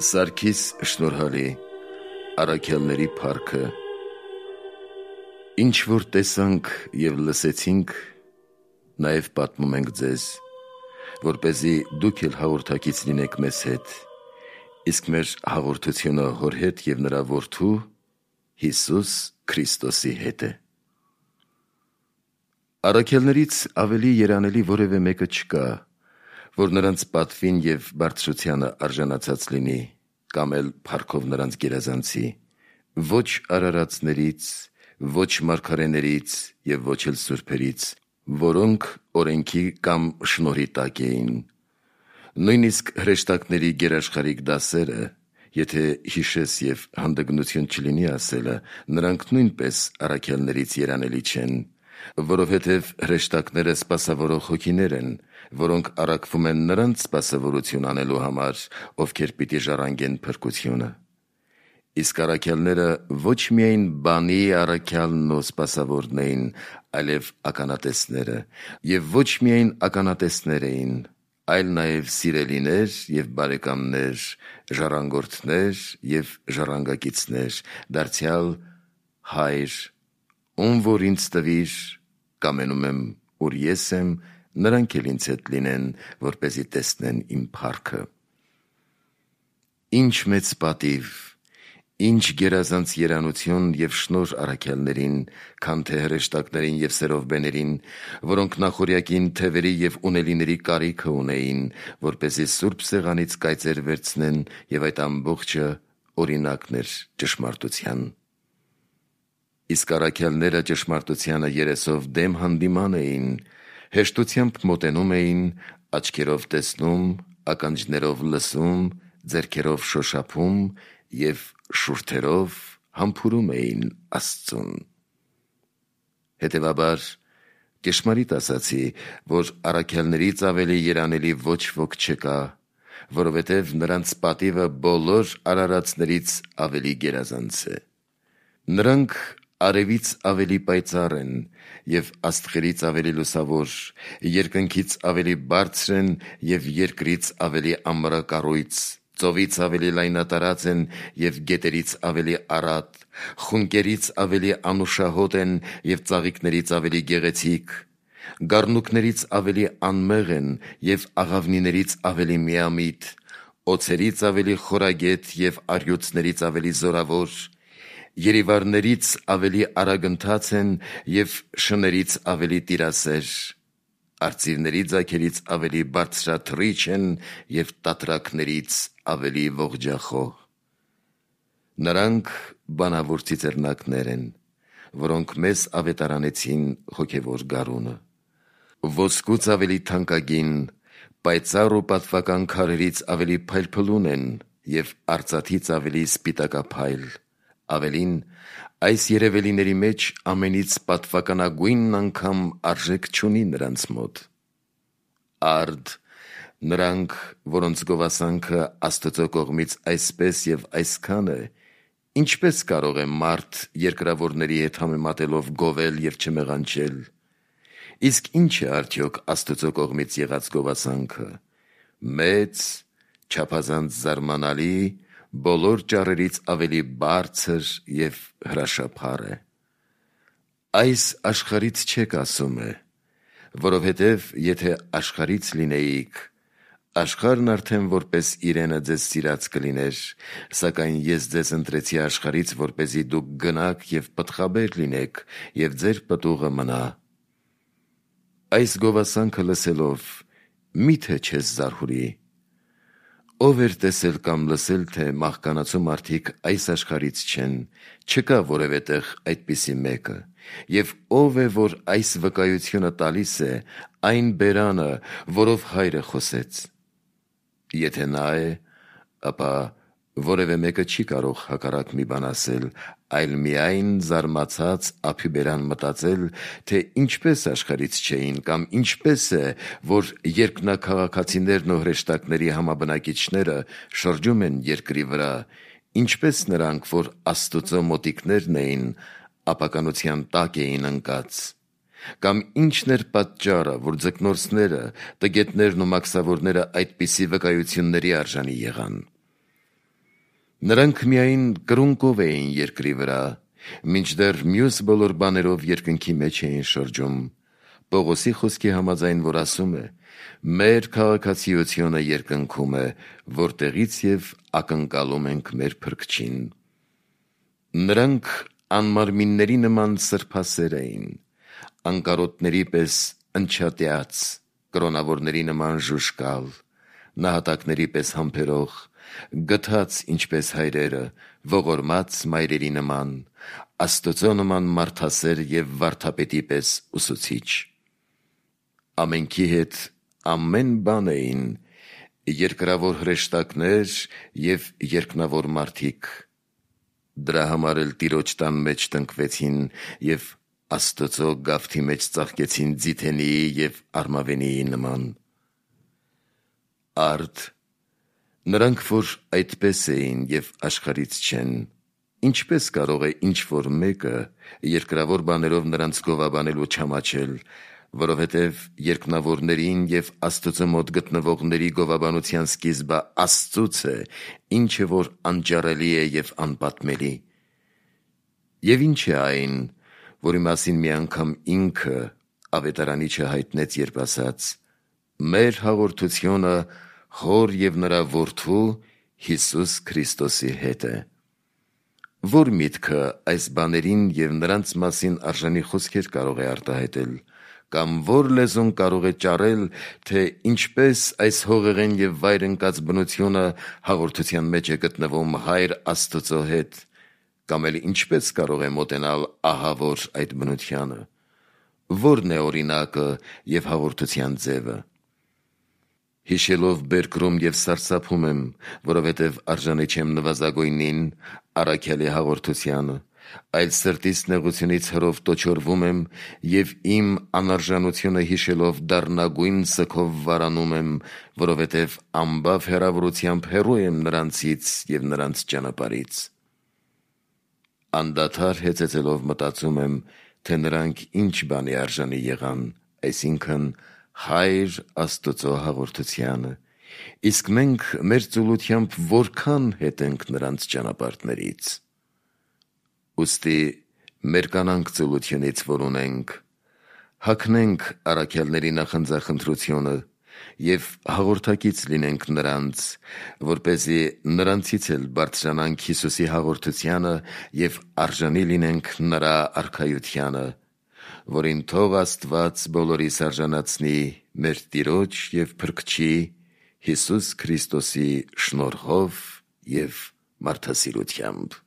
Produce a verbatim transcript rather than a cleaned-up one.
Սարգիս շնորհալի, առաքյալների փառքը։ Ինչ որ տեսանք և լսեցինք, նաև պատմում ենք ձեզ, որպեսզի դուք էլ հաղորդակից լինեք մեզ հետ, իսկ մեր հաղորդությունը Հոր հետ և նրա Որդու Հիսուս Քրիստոսի հետ է։ Առաքյալներից ավելի երանելի որևէ մեկը չկա, որ նրանց պատվին և բարձրությանը արժանացած լինի, կամ էլ փառքով նրանց գերազանցի, ոչ արարածներից, ոչ մարգարեներից և ոչ էլ սուրբերից, որոնք օրենքի կամ շնորհի տակ էին։ Նույնիսկ հրեշտակների գերաշխարհիկ դասերը, եթե հիշես և հանդգնություն չլինի ասելը, նրանք նույնպես առաքյալներից երանելի չեն, որովհետև հրեշտակները սպասավորող հոգիներ են, որոնք առաքվում են նրանց սպասավորություն անելու համար, ովքեր պիտի ժառանգեն փրկությունը։ Իսկ առաքյալները ոչ միայն բանի առաքյալն ու սպասավորն էին, այլև ականատեսները, և ոչ միայն ականատեսներ էին, այլ նաև սիրելիներ և բարեկամներ, ժառանգորդներ և ժառանգակիցներ, դարձյալ Հայր, ում որ ինձ տվիր, կամենում եմ, ուր ես եմ, նրանք էլ ինձ հետ լինեն, որպեսզի տեսնեն իմ փառքը։ Ինչ մեծ պատիվ, ինչ գերազանց երանություն և շնորհ առաքյալներին, քան թե հրեշտակներին և սերովբեներին, որոնք նախօրյակին թևերի և ունելիների կարիքը ունեին, որպեսզի սուրբ սեղանից կայծեր վերցնեն, և այդ ամբողջը օրինակն էր ճշմարտության։ Իսկ առաքյալները ճշմարտությանը երեսով դեմ հանդիման էին, հեշտությամբ մոտենում էին, աչքերով տեսնում, ականջներով լսում, ձեռքերով շոշափում և շուրթերով համբուրում էին Աստծուն։ Հետևաբար, ճշմարիտ ասացի, որ առաքյալներից ավելի երանելի ոչ ոք չկա, որովհետև նրանց պատիվը բոլոր արարածներից ավելի գերազանց է։ Նրանք արևից ավելի պայծառ են և աստղերից ավելի լուսավոր, երկնքից ավելի բարձր են և երկրից ավելի ամռակառույց, ծովից ավելի լայնատարած են և գետերից ավելի առատ, խունկերից ավելի անուշահոտ են և ծաղիկներից ավելի գեղեցիկ, գառնուկներից ավելի անմեղ են և աղավնիներից ավելի միամիտ, օձերից ավելի խորագետ և առյուծներից ավելի զորավոր, երիվառներից ավելի արագընթաց են և շներից ավելի տիրասեր, արծիվների ձագերից ավելի բարձրաթռիչ են և տատրակներից ավելի ողջախոհ։ Նրանք բանավոր ծիծեռնակներ են, որոնք մեզ ավետարանեցին հոգևոր գարունը։ Ոսկուց ավելի թանկագին, պայծառ ու պատվական քարերից ավելի փայլփլուն են և արծաթից ավելի սպիտակափայլ, ավելին, այս երևելիների մեջ ամենից պատվականագույնն անգամ արժեք չունի նրանց մոտ։ Արդ, նրանք, որոնց գովասանքը Աստծո կողմից այսպես և այսքան է, ինչպե՞ս կարող է մարդ երկրավորների հետ համեմատելով գովել և չմեղանչել։ Իսկ ի՞նչ է արդյոք Աստծո կողմից եղած գովասանքը։ Մեծ, չափազանց զարմանալի, բոլոր ճառերից ավելի բարձր և հրաշափառ է։ Այս աշխարհից չեք, ասում է, որովհետև եթե աշխարհից լինեիք, աշխարհն արդեն որպես իրենը ձեզ սիրած կլիներ, սակայն ես ձեզ ընտրեցի աշխարհից, որպեսզի դուք գնաք և պտղաբեր լինեք, և ձեր պտուղը մնա։ Այս գովասանքը լսելով, մի՞թե չես զարհուրի։ Ո՞վ էր տեսել կամ լսել, թե մահկանացու մարդիկ այս աշխարհից չեն, չկա որևէ տեղ այդպիսի մեկը, և ո՞վ է, որ այս վկայությունը տալիս է, այն բերանը, որով Հայրը խոսեց։ Եթե նա է, ապա որևէ մեկը չի կարող հակառակ մի բան ասել, այլ միայն զարմացած ափիբերան մտածել, թե ինչպես աշխարհից չէին, կամ ինչպես է, որ երկնաքաղաքացիներն ու հրեշտակների համաբնակիչները շրջում են երկրի վրա, ինչպես նրանք, որ Աստծո մոտիկներն էին, ապականության տակ էին ընկած, կամ ի՞նչն էր պատճառը, որ ձկնորսները, տգետներն ու մաքսավորները այդպիսի վկայությունների արժանի եղան։ Նրանք միայն կրունկով էին երկրի վրա, մինչդեռ մյուս բոլոր բաներով երկնքի մեջ էին շրջում։ Պողոսի խոսքի համաձայն, որ ասում է. մեր քաղաքացիությունը երկնքում է, որտեղից և ակնկալում ենք մեր Փրկչին։ Նրանք անմարմինների նման սրբասեր էին, անկարոտների պես ընչատյաց, կրոնավորների նման ժուժկալ, նահատակների պես համբերող, գթած ինչպես հայրերը, ողորմած մայրերի նման, Աստծո նման մարդասեր և վարդապետի պես ուսուցիչ։ Ամենքի հետ ամեն բան էին, երկրավոր հրեշտակներ և երկնավոր մարդիկ, դրա համար էլ Տիրոջ տան մեջ տնկվեցին և Աստծո գավթի մեջ ծաղկեցին ձիթենիի և արմավենիի նման։ Արդ, նրանք, որ այդպես էին և աշխարհից չեն, ինչպե՞ս կարող է ինչ-որ մեկը երկրավոր բաներով նրանց գովաբանել ու չամաչել, որովհետև երկնավորներին և Աստծո մոտ գտնվողների գովաբանության սկիզբը Աստծուց է, ինչը որ անճարելի է և անպատմելի։ Եվ ի՞նչ է այն, որի մասին մի անգամ ինքը Ավետարանիչը հայտնեց, երբ ասաց. «Մեր հաղորդությունը Հոր և նրա Որդու Հիսուս Քրիստոսի հետ է»։ Ո՞ր միտքը այս բաներին և նրանց մասին արժանի խոսքեր կարող է արտահայտել, կամ ո՞ր լեզուն կարող է ճառել, թե ինչպես այս հողեղեն և վայր ընկած բնությունը հաղորդության մեջ է գտնվում Հայր Աստծո հետ, կամ էլ ինչպես կարող է մոտենալ ահավոր այդ բնությանը, ո՞րն է օրինակը և հաղորդության ձևը։ Հիշելով բերկրում և սարսափում եմ, որովհետև արժանի չեմ նվազագույնին, առաքյալի հաղորդությանը, այլ սրտիս նեղությունից հրով տոչորվում եմ և իմ անարժանությունը հիշելով դառնագույն սգով վարանում եմ, որովհետև ամբավ հեռավորությամբ հեռու եմ նրանցից և նրանց ճանապարհից։ Անդադար հեծեծելով մտածում եմ, թե նրանք ինչ բանի արժանի եղան, այսինքն Հայր Աստծո հաղորդությանը, իսկ մենք մեր ծուլությամբ որքան հետ ենք նրանց ճանապարհներից։ Ուստի մերկանանք ծուլությունից, որ ունենք, հագնենք առաքյալների նախընձախնդրությունը և հաղորդակից լինենք նրանց, որպեսզի նրանցից էլ բարձրանանք Հիսուսի հաղորդությանը և արժանի լինենք նրա արքայությանը, որին թող Աստված բոլորիս արժանացնի մեր Տիրոջ և Փրկչի Հիսուս Քրիստոսի շնորհով և մարդասիրությամբ։